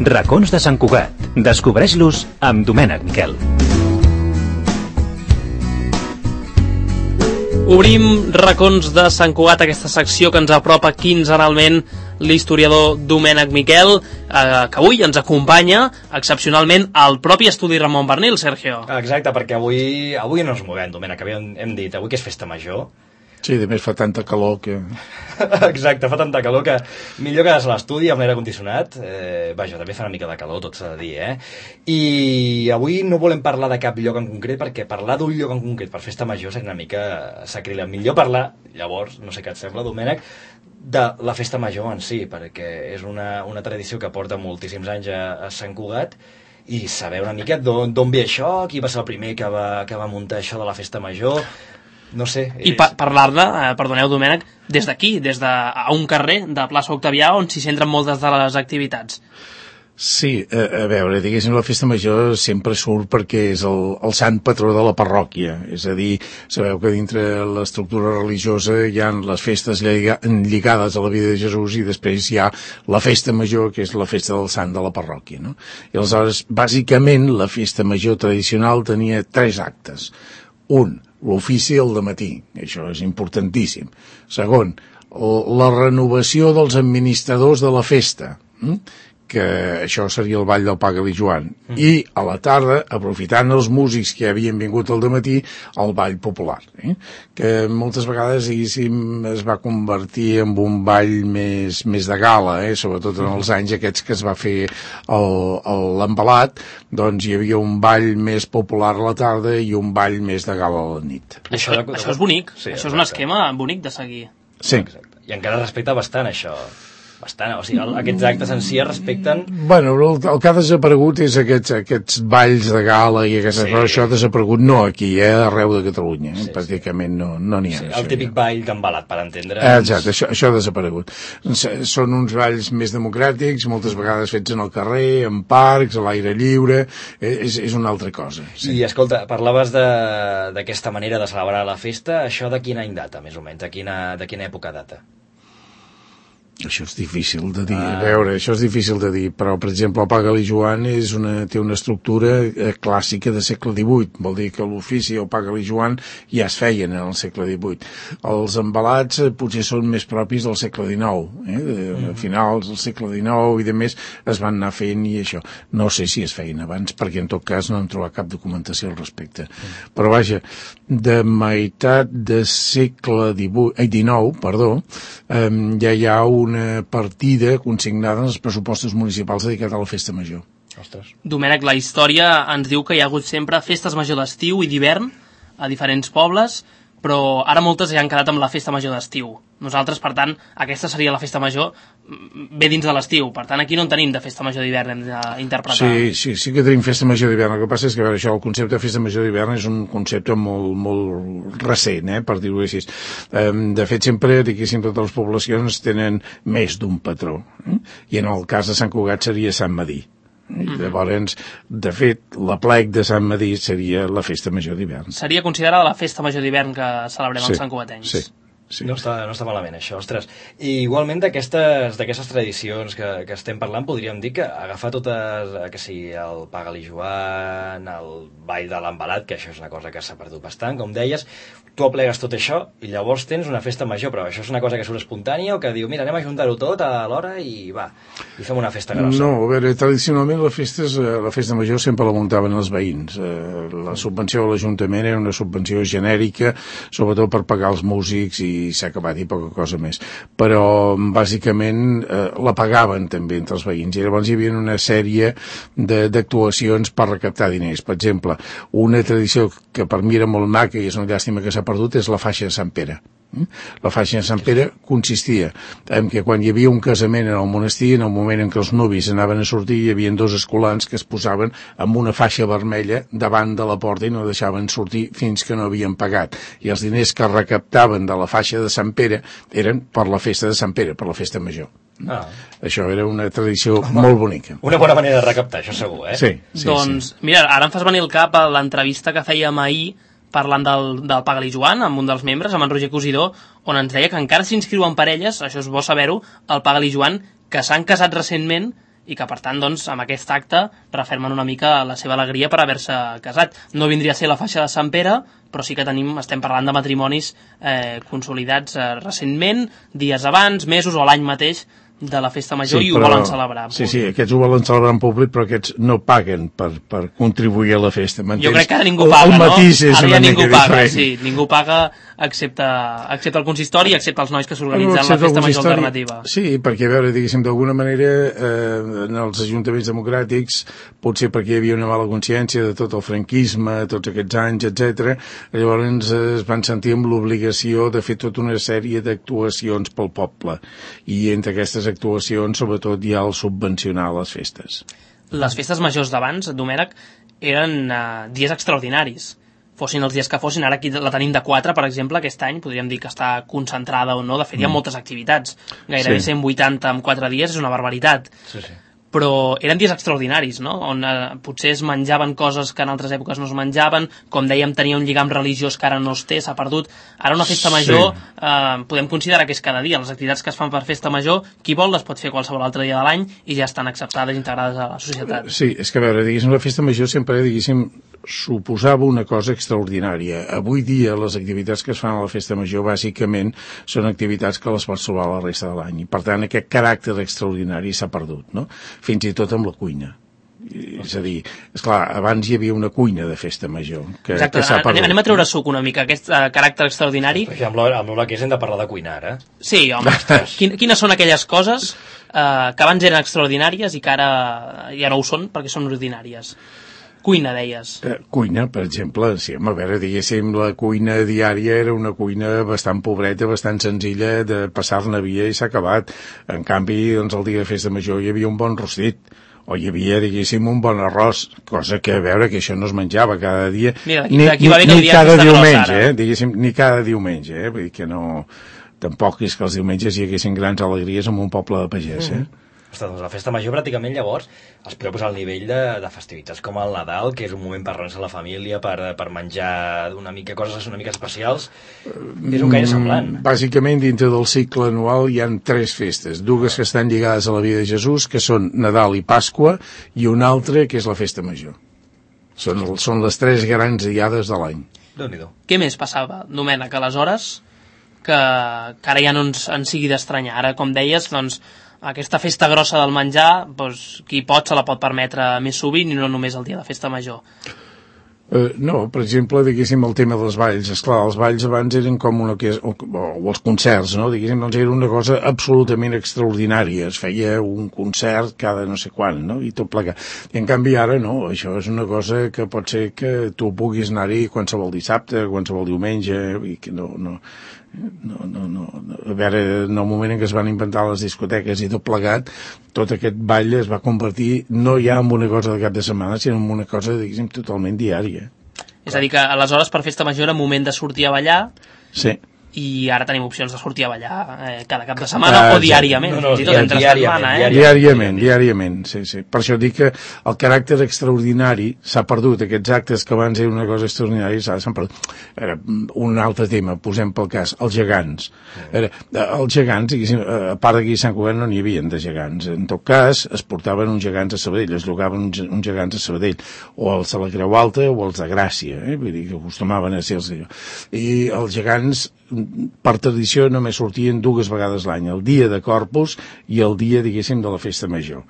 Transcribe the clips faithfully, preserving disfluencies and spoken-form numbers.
Racons de Sant Cugat. Descobreix-los amb Domènec Miquel. Obrim Racons de Sant Cugat, aquesta secció que ens apropa quinzenalment l'historiador Domènec Miquel, eh, que avui ens acompanya excepcionalment al propi estudi Ramon Bernil, Sergio. Exacte, perquè avui avui no ens movem, Domènec, hem, hem dit, avui que és festa major. Sí, a més fa tanta calor que... Exacte, fa tanta calor que millor quedar-se a l'estudi amb l'aire condicionat. Eh, vaja, també fa una mica de calor, tot s'ha de dir, eh? I avui no volem parlar de cap lloc en concret, perquè parlar d'un lloc en concret per festa major seria una mica sacríleg. Millor parlar, llavors, no sé què et sembla, Domènec, de la festa major en si, perquè és una, una tradició que porta moltíssims anys a, a Sant Cugat, i saber una mica d'on ve això, qui va ser el primer que va, que va muntar això de la festa major... No sé. I pa parlar-ne, eh, perdoneu Domènec, des d'aquí, des de a un carrer de plaça Octavià on s'hi centren moltes de les activitats. Sí, a, a veure, diguéssim, la festa major sempre surt perquè és el, el sant patró de la parròquia. És a dir, sabeu que dintre l'estructura religiosa hi ha les festes lliga, lligades a la vida de Jesús i després hi ha la festa major, que és la festa del sant de la parròquia, no? I aleshores, bàsicament, la festa major tradicional tenia tres actes. Un, l'ofici al dematí, això és importantíssim. Segon, la renovació dels administradors de la festa, que això seria el ball del Pagall i Joan, mm. i a la tarda, aprofitant els músics que havien vingut al dematí, el ball popular, eh? Que moltes vegades, diguéssim, es va convertir en un ball més, més de gala, eh? Sobretot en els anys aquests que es va fer l'embalat, doncs hi havia un ball més popular a la tarda i un ball més de gala a la nit. Això, això és bonic, sí, això és un esquema bonic de seguir. Sí. Exacte. I encara respecta bastant això. Bastant, o sigui, aquests actes en si es respecten... Bueno, el, el que ha desaparegut és aquests, aquests balls de gala i aquestes sí. coses, això ha desaparegut no aquí, eh, arreu de Catalunya, eh? Sí, pràcticament no n'hi no ha. Sí, el típic ja. ball d'embalat, per entendre. Exacte, això, això ha desaparegut. Són uns balls més democràtics, moltes vegades fets en el carrer, en parcs, a l'aire lliure, és, és una altra cosa. Sí. I escolta, parlaves d'aquesta manera de celebrar la festa, això de quin any data, més o menys, de quina, de quina època data? Això és difícil de dir, ah. a veure, això és difícil de dir, però, per exemple, el Pagall i Joan és una, té una estructura eh, clàssica de segle divuit, vol dir que l'ofici, el Pagall i Joan, ja es feien en el segle divuit. Els embalats eh, potser són més propis del segle dinou, eh, de, mm. a finals del segle dinou i de més es van anar fent i això. No sé si es feien abans, perquè en tot cas no hem trobat cap documentació al respecte. Mm. Però vaja, de meitat de segle divuit, eh, dinou, perdó, eh, ja hi ha un una partida consignada en els pressupostos municipals dedicats a la festa major. Ostres. Domènec, la història ens diu que hi ha hagut sempre festes major d'estiu i d'hivern a diferents pobles, però ara moltes ja han quedat amb la festa major d'estiu. Nosaltres, per tant, aquesta seria la festa major bé dins de l'estiu. Per tant, aquí no en tenim de festa major d'hivern, hem d'interpretar. Sí, sí, sí que tenim festa major d'hivern. El que passa és que, a veure, això, el concepte de festa major d'hivern és un concepte molt, molt recent, eh, per dir-ho així. De fet, sempre, diguéssim, totes les poblacions tenen més d'un patró. Eh? I en el cas de Sant Cugat seria Sant Medir. I llavors, de fet, l'aplec de Sant Medir seria la festa major d'hivern. Seria considerada la festa major d'hivern que celebrem sí, els santcugatencs. Sí. Sí. No està, no està malament això, ostres. I igualment d'aquestes tradicions que, que estem parlant, podríem dir que agafar totes, que sigui el Pagall i Joan, el ball de l'embalat, que això és una cosa que s'ha perdut bastant, com deies, tu aplegues tot això i llavors tens una festa major, però això és una cosa que surt espontània o que diu, mira, anem a juntar-ho tot a l'hora i va, i fem una festa grossa. No, a veure, tradicionalment la festa, la festa major sempre la muntaven els veïns. La subvenció de l'Ajuntament era una subvenció genèrica, sobretot per pagar els músics i s'ha acabat i poca cosa més, però bàsicament eh, la pagaven també entre els veïns i llavors hi havia una sèrie d'actuacions per recaptar diners. Per exemple, una tradició que per mi era molt maca i és una llàstima que s'ha perdut és la faixa de Sant Pere. La faixa de Sant Pere consistia en que quan hi havia un casament en el monestir, en el moment en què els nuvis anaven a sortir, hi havia dos escolans que es posaven amb una faixa vermella davant de la porta i no deixaven sortir fins que no havien pagat. I els diners que recaptaven de la faixa de Sant Pere eren per la festa de Sant Pere, per la festa major. Ah. Això era una tradició Home, molt bonica. Una bona manera de recaptar, això segur, eh? Sí, sí, doncs, sí. Mira, ara em fas venir al cap a l'entrevista que fèiem ahir parlant del, del Pagall i Joan amb un dels membres, amb en Roger Cosidó, on ens deia que encara s'inscriuen parelles, això és bo saber-ho, al Pagall i Joan, que s'han casat recentment i que, per tant, doncs, amb aquest acte refermen una mica la seva alegria per haver-se casat. No vindria a ser la faixa de Sant Pere, però sí que tenim, estem parlant de matrimonis eh, consolidats eh, recentment, dies abans, mesos o l'any mateix de la festa major, sí, i ho però, volen celebrar. Sí, sí, aquests ho volen celebrar en públic, però aquests no paguen per, per contribuir a la festa. Jo crec que ara ningú paga, el, el matís no? És ara una ja ningú mica paga, diferent. sí, ningú paga excepte, excepte el consistori, excepte els nois que s'organitzen no, la festa major alternativa. Sí, perquè, a veure, diguéssim, d'alguna manera, eh, en els ajuntaments democràtics, potser perquè hi havia una mala consciència de tot el franquisme, tots aquests anys, etcètera, llavors es van sentir amb l'obligació de fer tota una sèrie d'actuacions pel poble. I entre aquestes actuacions, sobretot, hi ha el subvencionar les festes. Les festes majors d'abans, Domènec, eren uh, dies extraordinaris. Fossin els dies que fossin, ara aquí la tenim de quatre, per exemple, aquest any, podríem dir que està concentrada o no, de fet hi ha moltes activitats. Gairebé sí. cent vuitanta en quatre dies és una barbaritat. Sí, sí. Però eren dies extraordinaris, no? On eh, potser es menjaven coses que en altres èpoques no es menjaven, com dèiem, tenia un lligam religiós que ara no es té, s'ha perdut. Ara una festa major sí. eh, podem considerar que és cada dia. Les activitats que es fan per festa major, qui vol les pot fer qualsevol altre dia de l'any i ja estan acceptades i integrades a la societat. Sí, és que a veure, diguéssim, la festa major sempre, diguéssim, suposava una cosa extraordinària. Avui dia les activitats que es fan a la festa major bàsicament són activitats que les pots trobar la resta de l'any i per tant aquest caràcter extraordinari s'ha perdut, no? Fins i tot amb la cuina. És a dir, esclar, abans hi havia una cuina de festa major que, Exacte, que s'ha perdut. Anem a treure suc una mica, aquest uh, caràcter extraordinari. Perquè amb l'Ola que és hem de parlar de cuinar, eh? Sí, home, Quin, quines són aquelles coses uh, que abans eren extraordinàries i que ara ja no ho són perquè són ordinàries? Cuina, deies. Eh, cuina, per exemple, sí, a veure, diguéssim, la cuina diària era una cuina bastant pobreta, bastant senzilla, de passar-ne via i s'ha acabat. En canvi, doncs, el dia de festa major hi havia un bon rostit, o hi havia, diguéssim, un bon arròs, cosa que, a veure, que això no es menjava cada dia, Mira, ni, aquí va ni, ni cada diumenge, eh, diguéssim, ni cada diumenge, eh, vull dir que no... Tampoc és que els diumenges hi haguessin grans alegries en un poble de pagès, eh? Mm. Ostres, doncs la festa major pràcticament llavors es podeu posar al nivell de, de festivitats com el Nadal, que és un moment per reunar-se a la família, per, per menjar una mica coses una mica especials. És un gaire semblant. Bàsicament, dintre del cicle anual hi ha tres festes, dues que estan lligades a la vida de Jesús, que són Nadal i Pasqua, i una altra que és la festa major. Són, són les tres grans diades de l'any. Déu-n'hi-do. Què més passava, Domènec, aleshores, que, que ara ja no ens, ens sigui d'estranyar? Ara, com deies, doncs, aquesta festa grossa del menjar, doncs, qui pot se la pot permetre més sovint i no només el dia de festa major. Uh, no, per exemple, diguéssim, el tema dels balls. Esclar, els balls abans eren com una... O, o els concerts, no? Diguéssim, doncs era una cosa absolutament extraordinària. Es feia un concert cada no sé quan, no? I tot plegat. I en canvi ara no, això és una cosa que pot ser que tu puguis anar-hi qualsevol dissabte, qualsevol diumenge, i que no... no No, no, no. A veure, en el moment en què es van inventar les discoteques i tot plegat, tot aquest ball es va convertir no ja en una cosa de cap de setmana, sinó en una cosa, diguéssim, totalment diària. És a dir, que aleshores per festa major era moment de sortir a ballar, sí, i ara tenim opcions de sortir a ballar eh, cada cap de setmana uh, o diàriament, no, no, fins i tot entre setmana, eh? Diàriament, diàriament, sí, sí. Per això dic que el caràcter extraordinari s'ha perdut, aquests actes que abans eren una cosa extraordinària s'han perdut. Era un altre tema, posem pel cas, els gegants. Era, els gegants, a part d'aquí a Sant Cugat no n'hi havia de gegants. En tot cas, es portaven uns gegants a Sabadell, es llogaven uns, uns gegants a Sabadell, o els de la Creu Alta o els de Gràcia, eh? Vull dir que acostumaven a ser els... I els gegants per tradició només sortien dues vegades l'any, el dia de Corpus i el dia, diguéssim, de la festa major.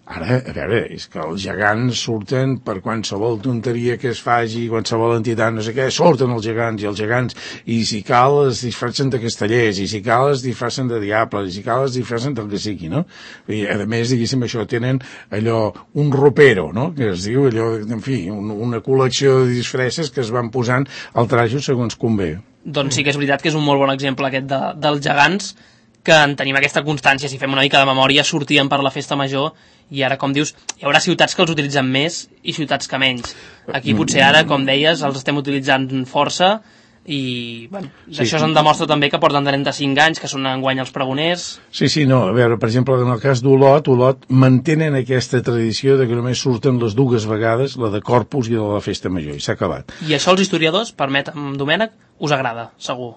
Ara, a veure, és que els gegants surten per qualsevol tonteria que es faci, qualsevol entitat, no sé què, surten els gegants, i els gegants, i si cal es disfressen de castellers, i si cal es disfressen de diables, i si cal es disfressen del que sigui, no? I, a més, diguéssim, això tenen allò, un ropero, no?, que es diu allò, en fi, un, una col·lecció de disfresses que es van posant al trajo segons convé. Doncs sí que és veritat que és un molt bon exemple aquest de, dels gegants, que en tenim aquesta constància, si fem una mica de memòria, sortien per la festa major, i ara, com dius, hi haurà ciutats que els utilitzen més i ciutats que menys. Aquí potser ara, com deies, els estem utilitzant força, i bueno, sí, això se'n demostra també que porten trenta-cinc anys, que són enguany els pregoners. Sí, sí, no, a veure, per exemple, en el cas d'Olot, Olot mantenen aquesta tradició de que només surten les dues vegades, la de Corpus i la de la festa major, i s'ha acabat. I això els historiadors, permetem, Domènec, us agrada, segur.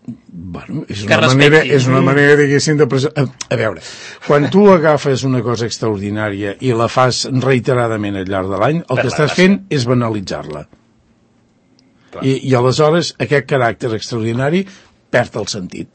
Bé, Bueno, és una manera, és una manera, diguéssim, de... Pres... A, a veure, quan tu agafes una cosa extraordinària i la fas reiteradament al llarg de l'any, el que estàs fent és banalitzar-la. I, I aleshores aquest caràcter extraordinari perd el sentit.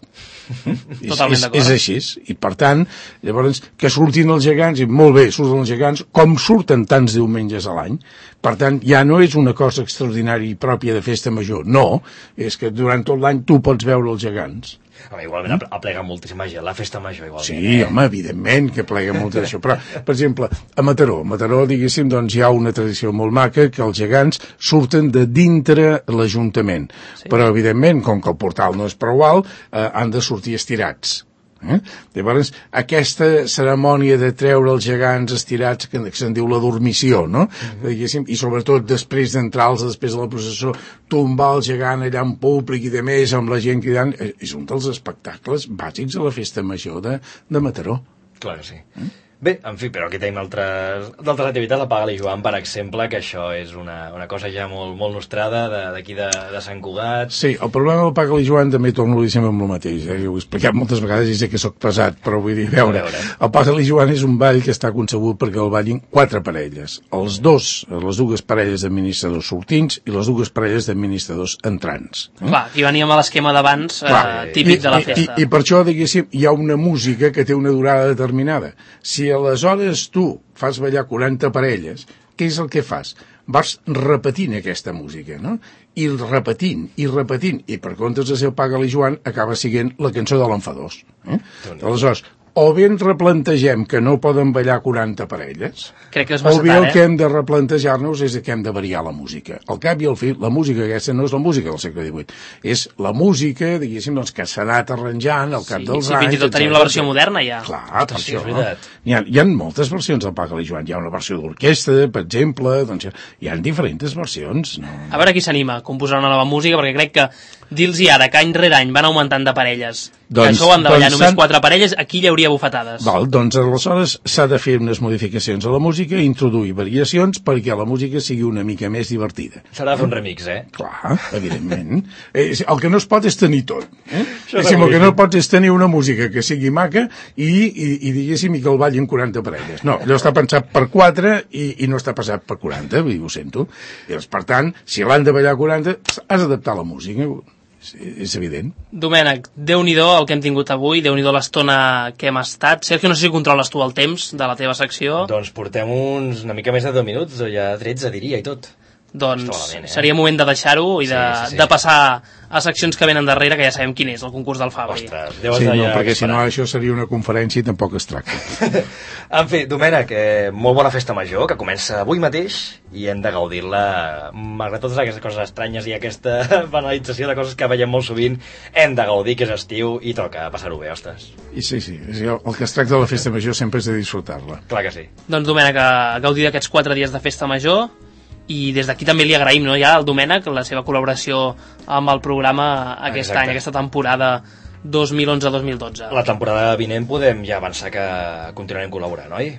Totalment és, d'acord. és així, i per tant, llavors, que surtin els gegants, i molt bé, surten els gegants, com surten tants diumenges a l'any. Per tant, ja no és una cosa extraordinària i pròpia de festa major, no, és que durant tot l'any tu pots veure els gegants. Home, igualment mm? aplega moltíssima gent, la festa major igualment. Sí, eh? home, evidentment que aplega molt d'això, però, per exemple, a Mataró, a Mataró, diguéssim, doncs hi ha una tradició molt maca que els gegants surten de dintre l'Ajuntament, sí. Però, evidentment, com que el portal no és prou alt, eh, han de sortir estirats. Eh? Llavors, aquesta cerimònia de treure els gegants estirats, que, que se'n diu la dormició, no? Mm-hmm. I sobretot després d'entrar-los, després de la processó, tombar el gegant allà en públic i de més, amb la gent cridant, és un dels espectacles bàsics de la festa major de, de Mataró. Clar que sí. Mm? Bé, en fi, però aquí tenim altres, d'altres activitats, la Pagal i Joan, per exemple, que això és una, una cosa ja molt, molt nostrada d'aquí de, de, de Sant Cugat. Sí, el problema del Pagal i Joan també torno a dir sempre amb el mateix, eh? Jo ho he explicat moltes vegades i sé que sóc pesat, però vull dir, a veure, veure. El Pagal i Joan és un ball que està concebut perquè el ballin quatre parelles, els dos, les dues parelles d'administradors sortints i les dues parelles d'administradors entrants. Eh? Clar, aquí veníem a l'esquema d'abans, eh, típic I, de la festa. I, i, I per això, diguéssim, hi ha una música que té una durada determinada. Si I aleshores tu fas ballar quaranta parelles, què és el que fas? Vas repetint aquesta música, no? I repetint, i repetint, i per comptes de ser el Pagal i Joan, acaba sent la cançó de l'Enfadós. Eh? Aleshores, o bé ens replantegem que no poden ballar quaranta parelles, crec que és o bé tard, el eh? que hem de replantejar-nos és que hem de variar la música. Al cap i al fi, la música aquesta no és la música del segle divuit, és la música, diguéssim, doncs, que s'ha anat arranjant al cap sí, dels sí, anys. Fins i tot tenim la versió moderna, ja. Clar, per sí, això. És veritat. Hi ha, hi ha moltes versions del Pagal i Joan. Hi ha una versió d'orquestra, per exemple, doncs hi ha diferents versions. No? A veure qui s'anima a composar una nova música, perquè crec que dir-los ara que any rere any van augmentant de parelles, doncs, que això ho han de ballar doncs només quatre parelles, aquí hi hauria bufetades. Val, doncs aleshores s'ha de fer unes modificacions a la música i introduir variacions perquè la música sigui una mica més divertida. S'haurà de fer un remix, eh? Clar, evidentment. eh, el que no es pot és tenir tot. Eh? Diguéssim, el que no pots és tenir una música que sigui maca i, i, i diguéssim, i que el ballin quaranta parelles. No, allò està pensat per quatre i, i no està passat per quaranta, vull dir, ho sento. I, doncs, per tant, si l'han de ballar quaranta, has d'adaptar la música. És, és evident. Domènec, Déu-n'hi-do el que hem tingut avui, Déu-n'hi-do l'estona que hem estat. Sergio, no sé si controles tu el temps de la teva secció. Doncs portem uns una mica més de deu minuts, o ja tretze diria i tot. Doncs malament, eh? seria moment de deixar-ho i de, sí, sí, sí. de passar a seccions que venen darrere, que ja sabem quin és, el concurs del Fabri. Ostres, sí, no, perquè si no això seria una conferència i tampoc es tracta. En fi, Domènec, eh, molt bona festa major, que comença avui mateix i hem de gaudir-la, malgrat totes aquestes coses estranyes i aquesta banalització de coses que veiem molt sovint, hem de gaudir, que és estiu i toca passar-ho bé, ostres. I sí, sí, el que es tracta de la festa major sempre és de disfrutar-la. Clar que sí. Doncs Domènec, a gaudir d'aquests quatre dies de festa major, i des d'aquí també li agraïm, no, ja al Domènec la seva col·laboració amb el programa aquest Exacte. any, aquesta temporada dos mil onze dos mil dotze. La temporada vinent podem ja avançar que continuarem col·laborant, oi?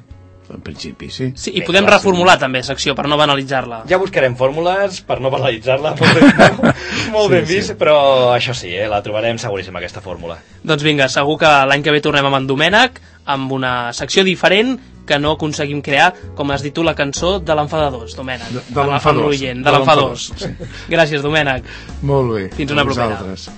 En principi, sí. Sí, i podem clar, reformular sí. també secció per no banalitzar-la. Ja buscarem fórmules per no banalitzar-la, molt ben, molt ben sí, vist, sí. Però això sí, eh, la trobarem seguríssim, aquesta fórmula. Doncs vinga, segur que l'any que ve tornem amb en Domènec, amb una secció diferent que no aconseguim crear, com has dit tu, la cançó de l'Enfadós, Domènec. De, de l'Enfadós. De l'Enfadós. Sí. Gràcies, Domènec. Molt bé. Fins una propera. Vosaltres.